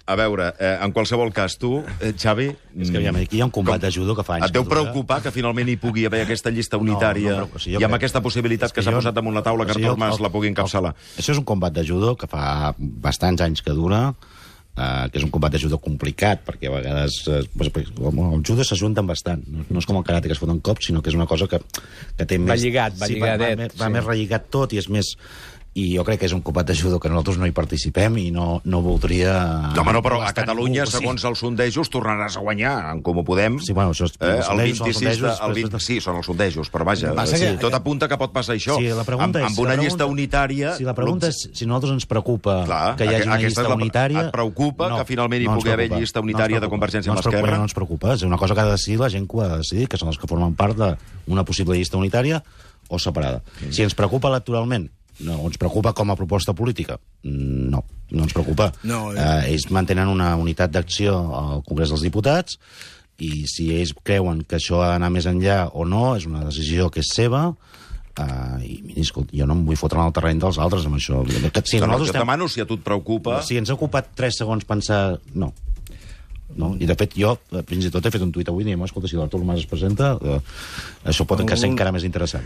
A veure, en qualsevol cas, tu, Xavi... És que aviam, aquí hi ha un combat de judo que fa anys et deu que dura. preocupar que finalment hi pugui haver aquesta llista unitària o sigui, i amb aquesta possibilitat que s'ha posat damunt la taula que Artur Mas la pugui encapçalar? Això és un combat de judo que fa bastants anys que dura, que és un combat de judo complicat, perquè a vegades el judo s'ajunten bastant. No és com el karate, que es foten cops, sinó que és una cosa que té més... Va lligadet. Va més relligat tot i és més... I jo crec que és un combat de judo que nosaltres no hi participem i no voldria... No, home, no, però a Catalunya, segons els sondejos, tornaràs a guanyar, en Comú Podem. Sí, bueno, això és... Sí, són els sondejos, però vaja, tot apunta que pot passar això. Sí, la pregunta és... Amb una llista unitària... Sí, la pregunta és si a nosaltres ens preocupa que hi hagi una llista unitària... Et preocupa que finalment hi pugui haver llista unitària de Convergència amb l'Esquerra? No ens preocupa, és una cosa que ha de decidir la gent que ho ha de decidir, que són els que formen part d'una possible llista unitària o separada. Si ens preocupa electoralment, no, ens preocupa com a proposta política? No ens preocupa. Ells mantenen una unitat d'acció al Congrés dels Diputats i si ells creuen que això ha d'anar més enllà o no, és una decisió que és seva i mira, escolta, jo no em vull fotre en el terreny dels altres amb això. Si jo demano si a tu et preocupa... Si ens ha ocupat 3 segons pensar... No. I de fet jo fins i tot he fet un tuit avui dient, escolta, si l'Artur Mas es presenta això pot encara ser encara més interessant.